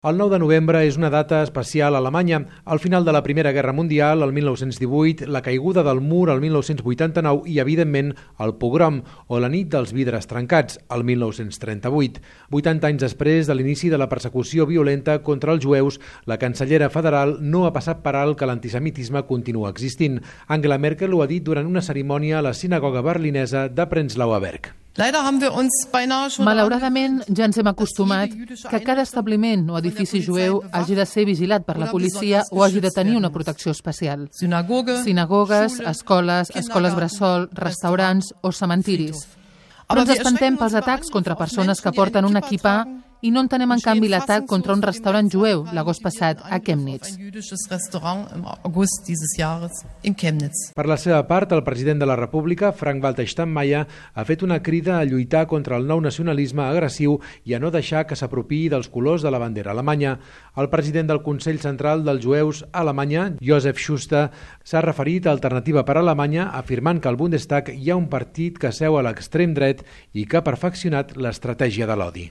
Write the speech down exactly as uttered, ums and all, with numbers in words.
El nou de novembre és una data especial a Alemanya. Al final de la Primera Guerra Mundial, el mil nou-cents divuit, la caiguda del mur el mil nou-cents vuitanta-nou i, evidentment, el pogrom, o la nit dels vidres trencats, el mil nou-cents trenta-vuit. vuitanta anys després de l'inici de la persecució violenta contra els jueus, la cancellera federal no ha passat per alt que l'antisemitisme continua existint. Angela Merkel ho ha dit durant una cerimònia a la sinagoga berlinesa de Prenzlauer Berg. Malauradament, ja ens hem acostumat que cada establiment o edifici jueu hagi de ser vigilat per la policia o hagi de tenir una protecció especial. Sinagogues, escoles, escoles bressol, restaurants o cementiris. Però ens espantem pels atacs contra persones que porten un equipà i no entenem, en canvi, l'atac contra un restaurant jueu l'agost passat a Chemnitz. Per la seva part, el president de la República, Frank-Walter Steinmeier, ha fet una crida a lluitar contra el nou nacionalisme agressiu i a no deixar que s'apropiï dels colors de la bandera alemanya. El president del Consell Central dels Jueus a Alemanya, Josef Schuster, s'ha referit a Alternativa per Alemanya, afirmant que al Bundestag hi ha un partit que seu a l'extrem dret i que ha perfeccionat l'estratègia de l'odi.